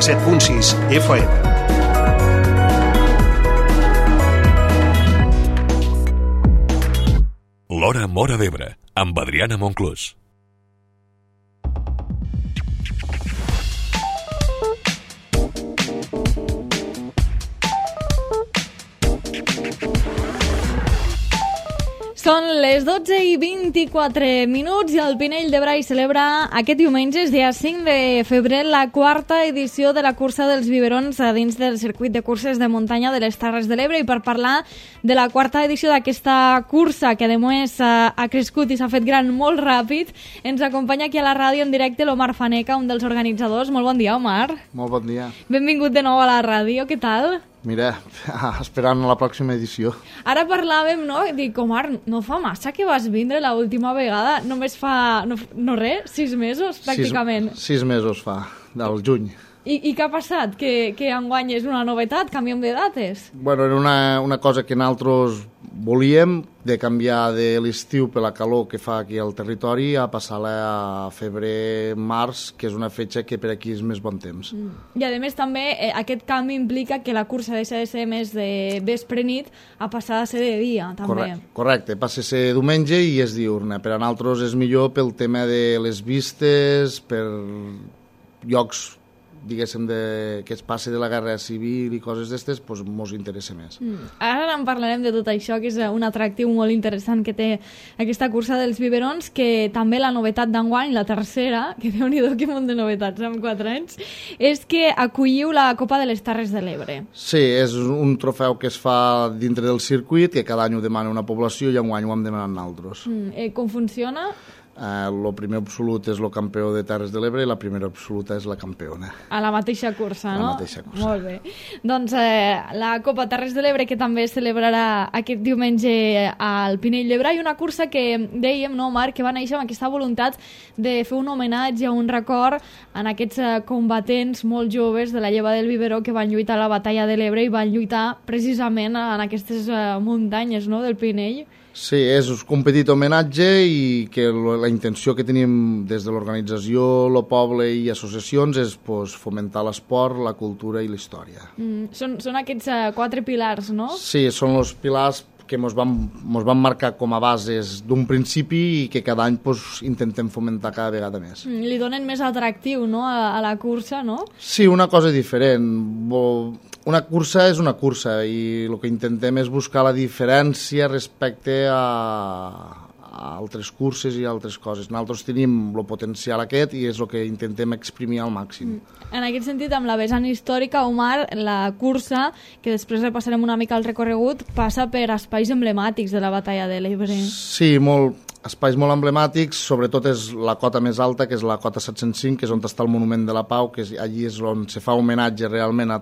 97.6 FM. L'Hora Móra d'Ebre, amb Adriana Monclús. Són les 12:24 i el Pinell de Brai celebra aquest diumenge, dia 5 de febrer, la quarta edició de la cursa dels biberons a dins del circuit de curses de muntanya de les Terres de l'Ebre. I per parlar de la quarta edició d'aquesta cursa, que a més ha crescut i s'ha fet gran molt ràpid, ens acompanya aquí a la ràdio en directe l'Omar Faneca, un dels organitzadors. Molt bon dia, Omar. Molt bon dia. Benvingut de nou a la ràdio, què tal? Mira, esperant la pròxima edició. Ara parlàvem, no? Dic, Omar, no fa massa que vas vindre l'última vegada, només fa, no res, 6 mesos, pràcticament. 6 mesos fa, del juny. I què ha passat? Que enguany és una novetat? Canviem de dates? Bueno, era una cosa que nosaltres volíem, de canviar de l'estiu per la calor que fa aquí al territori a passar-la a febrer-març, que és una fetge que per aquí és més bon temps. I a més també aquest canvi implica que la cursa deixa de ser més de vespre-nit a passar a ser de dia, també. Correcte, passa a ser diumenge i és diurna. Per a nosaltres és millor pel tema de les vistes, per llocs diguéssim, que es passi de la guerra civil i coses d'estes, doncs mos interessa més. Ara en parlarem de tot això, que és un atractiu molt interessant que té aquesta cursa dels biberons, que també la novetat d'enguany, la tercera, que Déu-n'hi-do que munt de novetats en 4 anys, és que acolliu la Copa de les Terres de l'Ebre. Sí, és un trofeu que es fa dintre del circuit, que cada any ho demana una població i enguany ho hem demanat nosaltres. Com funciona? El primer absolut és el campió de Terres de l'Ebre i la primera absoluta és la campiona. A la mateixa cursa, no? A la mateixa cursa. Molt bé. Doncs la Copa Terres de l'Ebre, que també es celebrarà aquest diumenge al Pinell de Brai, una cursa que dèiem, no, Marc, que va néixer amb aquesta voluntat de fer un homenatge, un record en aquests combatents molt joves de la lleva del biberó que van lluitar a la batalla de l'Ebre i van lluitar precisament en aquestes muntanyes, no?, del Pinell. Sí, és un petit homenatge i que la intenció que tenim des de l'organització, el poble i associacions és fomentar l'esport, la cultura i la història. Són aquests 4 pilars, no? Sí, són els pilars que mos van marcar com a bases d'un principi i que cada any intentem fomentar cada vegada més. Li donen més atractiu, no?, a la cursa, no? Sí, una cosa diferent. Una cursa és una cursa i el que intentem és buscar la diferència respecte a altres curses i altres coses. Nosaltres tenim el potencial aquest i és el que intentem exprimir al màxim. En aquest sentit, amb la vessant històrica, Omar, la cursa, que després repassarem una mica el recorregut, passa per espais emblemàtics de la batalla de l'Ebre. Sí, espais molt emblemàtics, sobretot és la cota més alta, que és la cota 705, que és on està el Monument de la Pau, que allí és on se fa homenatge realment a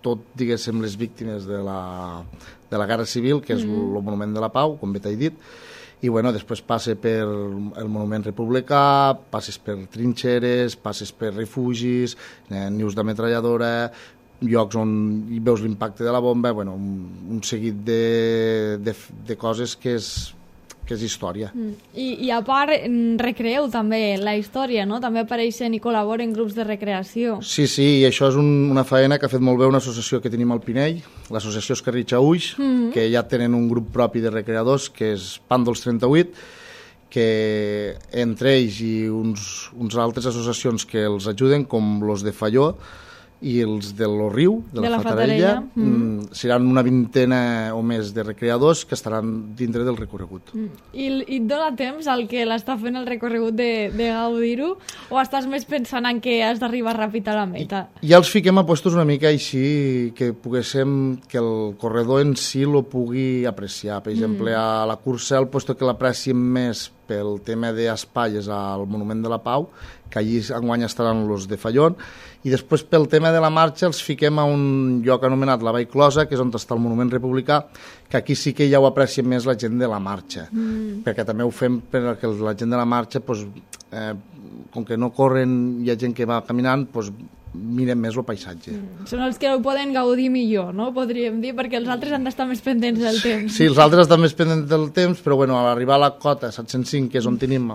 tot, diguéssim, les víctimes de la Guerra Civil, que és el Monument de la Pau, com bé t'he dit, i bueno, després passa per el Monument Republicà, passes per trinxeres, passes per refugis, nius d'ametralladora, llocs on hi veus l'impacte de la bomba, bueno, un seguit de coses que és història. I a part, recreeu també la història, no? També apareixen i col·laboren grups de recreació. Sí, i això és una feina que ha fet molt bé una associació que tenim al Pinell, l'associació Escarritxa Uix, que ja tenen un grup propi de recreadors, que és Pàndols 38, que entre ells i uns altres associacions que els ajuden, com els de Falló, i els de lo Riu, de la Fatarella, seran una vintena o més de recreadors que estaran dintre del recorregut. I et dona temps al que l'està fent el recorregut de gaudir-ho, o estàs més pensant en que has d'arribar ràpid a la meta? Ja els fiquem a puestos una mica així, que poguéssim, que el corredor en si lo pugui apreciar. Per exemple, a la cursa, el puesto que l'apreciem més pel tema d'espai és al Monument de la Pau, que allí enguany estaran els de Fallón, i després pel tema de la marxa els fiquem a un lloc anomenat la Vall Closa, que és on està el Monument Republicà, que aquí sí que ja ho aprecia més la gent de la marxa, perquè també ho fem perquè la gent de la marxa, com que no corren, hi ha gent que va caminant, miren més el paisatge. Són els que ho poden gaudir millor, no? Podríem dir, perquè els altres han d'estar més pendents del temps. Sí, els altres estan més pendents del temps, però bueno, a l'arribar a la cota 705, que és on tenim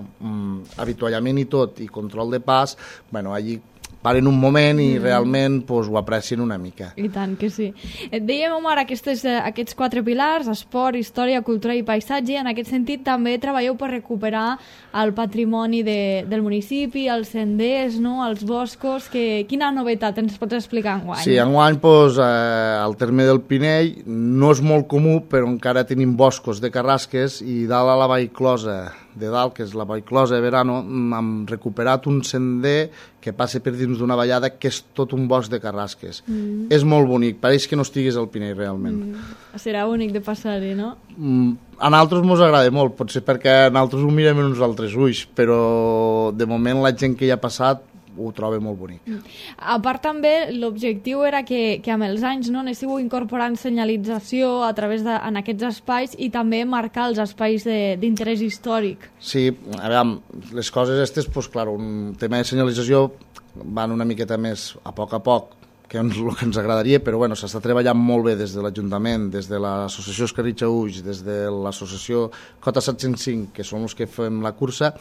avituallament i tot, i control de pas, bueno, allí paren un moment i realment pues, ho aprecien una mica. I tant que sí. Et dèiem, Omar, aquests 4 pilars, esport, història, cultura i paisatge, i en aquest sentit també treballeu per recuperar el patrimoni del municipi, els senders, no? Els boscos. Quina novetat ens pots explicar enguany? Sí, enguany pues, al terme del Pinell no és molt comú, però encara tenim boscos de carrasques i dalt a la Vallclosa de dalt, que és la Vallclosa de Verano, hem recuperat un sender que passa per dins d'una vallada que és tot un bosc de carrasques. És molt bonic, pareix que no estiguis al Pinell realment. Serà únic de passar-hi, no? A nosaltres ens agrada molt, potser perquè nosaltres ho mirem en uns altres ulls, però de moment la gent que hi ha passat ho troba molt bonic. A part també, l'objectiu era que amb els anys no, anéssiu incorporant senyalització a través en aquests espais i també marcar els espais d'interès històric. Sí, a veure, les coses aquestes, pues, clar, un tema de senyalització van una miqueta més a poc, que és el que ens agradaria, però bueno, s'està treballant molt bé des de l'Ajuntament, des de l'associació Escarritxa Ulls, des de l'associació Cota 705, que són els que fem la cursa,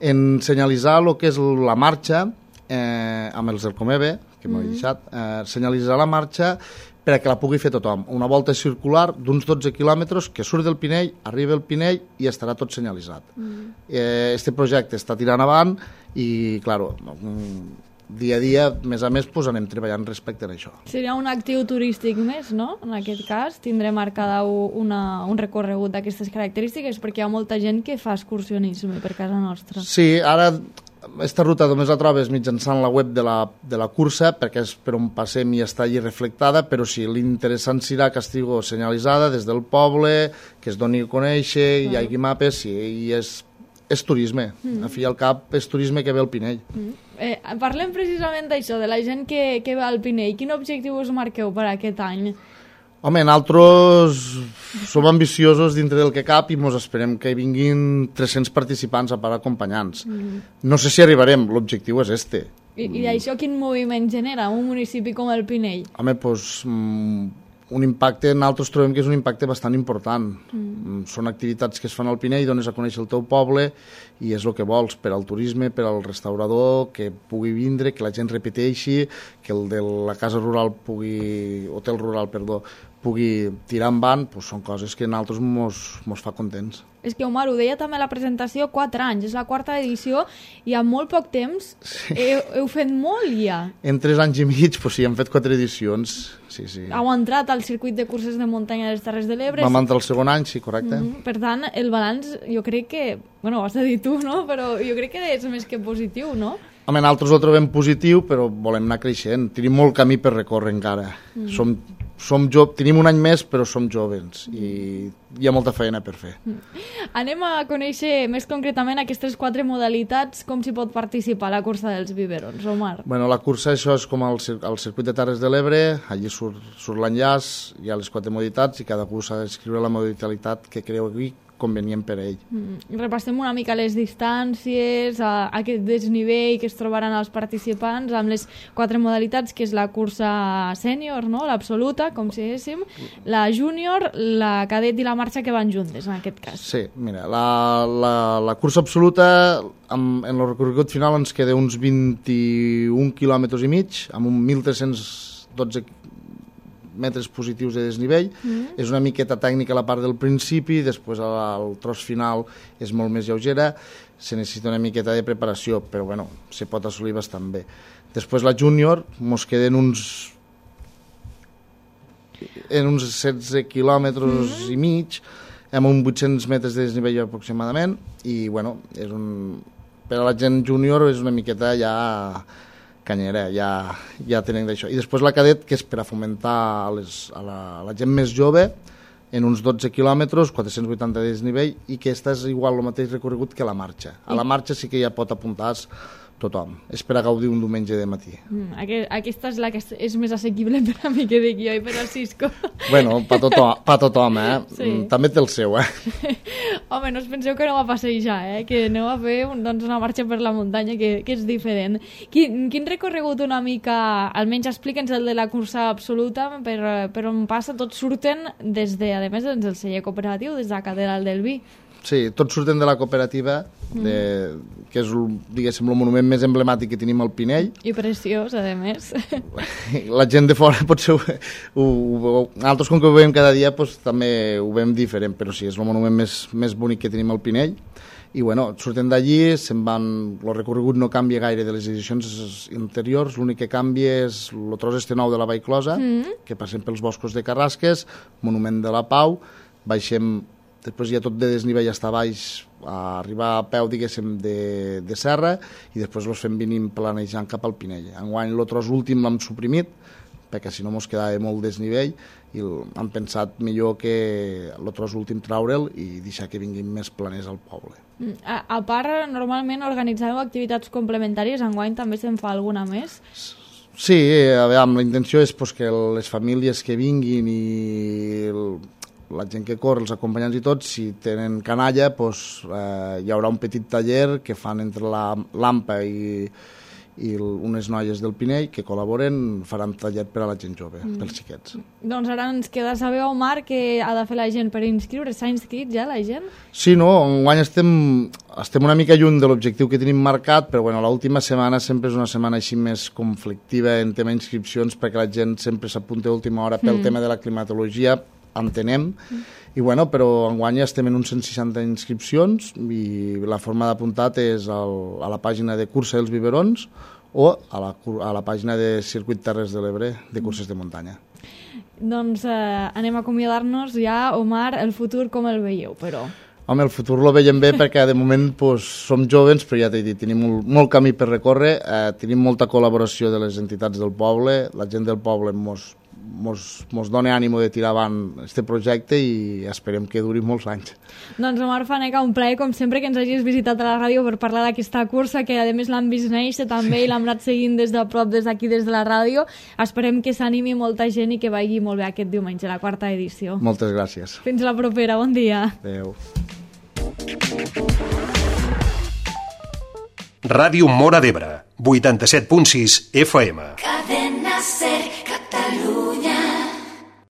en senyalitzar el que és la marxa, amb els del Comebe, que m'ho he deixat, senyalitzar la marxa perquè la pugui fer tothom. Una volta circular d'uns 12 quilòmetres que surt del Pinell, arriba al Pinell i estarà tot senyalitzat. Este projecte està tirant avant i, clar, dia a dia, més a més, pues, anem treballant respecte a això. Seria un actiu turístic més, no? En aquest cas, tindré marcada un recorregut d'aquestes característiques perquè hi ha molta gent que fa excursionisme per casa nostra. Sí, ara aquesta ruta només la trobes mitjançant la web de la cursa, perquè és per on passem i està allí reflectada, però sí, l'interessant serà que estigui senyalitzada des del poble, que es doni a conèixer, hi hagi mapes, sí, i és turisme. A fi i al cap és turisme que ve al Pinell. Parlem precisament d'això, de la gent que ve al Pinell. Quin objectiu us marqueu per aquest any? Home, nosaltres som ambiciosos dintre del que cap i ens esperem que hi vinguin 300 participants a part acompanyants. No sé si arribarem, l'objectiu és este. I això quin moviment genera un municipi com el Pinell? Home, doncs un impacte, nosaltres trobem que és un impacte bastant important. Són activitats que es fan al Pinell, dones a conèixer el teu poble i és el que vols per al turisme, per al restaurador, que pugui vindre, que la gent repeteixi, que el de la casa rural hotel rural, pugui tirar endavant, doncs són coses que a nosaltres mos fa contents. És que, Omar, ho deia també a la presentació, 4 anys, és la 4ª edició i en molt poc temps heu fet molt ja. En 3 anys i mig, doncs sí, hem fet 4 edicions. Sí. Heu entrat al circuit de curses de muntanya de les Terres de l'Ebre. Vam entrar el segon any, sí, correcte. Per tant, el balanç, jo crec que, bueno, ho has de dir tu, no? Però jo crec que és més que positiu, no? Home, nosaltres ho trobem positiu, però volem anar creixent. Tenim molt camí per recórrer encara. Tenim un any més, però som joves i hi ha molta feina per fer. Anem a conèixer més concretament aquestes 4 modalitats, com s'hi pot participar a la cursa dels biberons, Omar. Bueno, la cursa, això és com el circuit de Terres de l'Ebre, allí surt l'enllaç, hi ha les 4 modalitats i cadascú s'ha d'escriure la modalitat que creu convenient per a ell. Repassem una mica les distàncies, aquest desnivell que es trobaran els participants amb les 4 modalitats, que és la cursa sènior, no? L'absoluta, com si diguéssim, la júnior, la cadet i la marxa que van juntes, en aquest cas. Sí, mira, la cursa absoluta, en el recorregut final ens queda uns 21 quilòmetres i mig, amb un 1.312 metres positius de desnivell. És una miqueta tècnica la part del principi, després el tros final és molt més lleugera, se necessita una miqueta de preparació, però bueno, se pot assolir bastant bé. Després la júnior mos queden uns 16 quilòmetres i mig, amb uns 800 metres de desnivell aproximadament, i bueno, per a la gent júnior és una miqueta ja canyera, ja tenen d'això. I després la cadet, que és per a fomentar a la gent més jove, en uns 12 quilòmetres, 480 de desnivell, i que aquesta és igual el mateix recorregut que la marxa. A la marxa sí que ja pot apuntar tothom. És per a gaudir un diumenge de matí. Aquesta és la que és més assequible per a mi que dic jo i per al Cisco. Bueno, per tothom, Sí. També té el seu, Home, no us penseu que aneu a passejar, que aneu a fer una marxa per la muntanya que és diferent. Quin recorregut una mica, almenys explica'ns el de la cursa absoluta, per on passa, tots surten a més del celler cooperatiu, des de la Catedral del Vi. Sí, tots surten de la cooperativa, que és, diguéssim, el monument més emblemàtic que tenim al Pinell. I preciós, a més. La gent de fora potser nosaltres, com que ho veiem cada dia, doncs, també ho veiem diferent, però sí, és el monument més bonic que tenim al Pinell. I bueno, surten d'allí, se'n van... El recorregut no canvia gaire de les edicions anteriors, l'únic que canvia és el tros este nou de la Vallclosa, que passem pels boscos de Carrasques, Monument de la Pau, baixem... Després hi ha tot de desnivell hasta baix, a arribar a peu, diguéssim, de serra, i després els fem venint planejant cap al Pinell. Enguany el tros últim l'hem suprimit, perquè si no mos quedava molt desnivell, i han pensat millor que el tros últim traure'l i deixar que vinguin més planers al poble. A part, normalment organitzàveu activitats complementàries, enguany també se'n fa alguna més? Sí, a veure, la intenció és pues, que les famílies que vinguin i la gent que corre, els acompanyants i tots, si tenen canalla, doncs, hi haurà un petit taller que fan entre l'AMPA i unes noies del Pinell que col·laboren, faran taller per a la gent jove, pels xiquets. Doncs ara ens queda saber, Omar, què ha de fer la gent per inscriure. S'ha inscrit ja la gent? Sí, no, enguany estem una mica lluny de l'objectiu que tenim marcat, però bueno, l'última setmana sempre és una setmana així més conflictiva en tema d'inscripcions, perquè la gent sempre s'apunta a última hora pel tema de la climatologia, entenem, i bueno, però enguany estem en uns 160 inscripcions i la forma d'apuntar és a la pàgina de Cursa dels Biberons o a la pàgina de Circuit Terres de l'Ebre de curses de muntanya. Doncs anem a acomiadar-nos ja. Omar, el futur com el veieu, però? Home, el futur lo veiem bé perquè de moment pues, som joves, però ja t'he dit, tenim molt camí per recórrer, tenim molta col·laboració de les entitats del poble, la gent del poble mos dona ànimo de tirar avant aquest projecte i esperem que duri molts anys. Doncs Omar Faneca, un plaer com sempre que ens hagis visitat a la ràdio per parlar d'aquesta cursa, que a més l'han vist néixer també i l'hem anat seguint des de prop, des d'aquí, des de la ràdio. Esperem que s'animi molta gent i que vagi molt bé aquest diumenge, la 4ª edició. Moltes gràcies. Fins la propera, bon dia. Adéu. Ràdio Móra d'Ebre, 87.6 FM. Cadena C.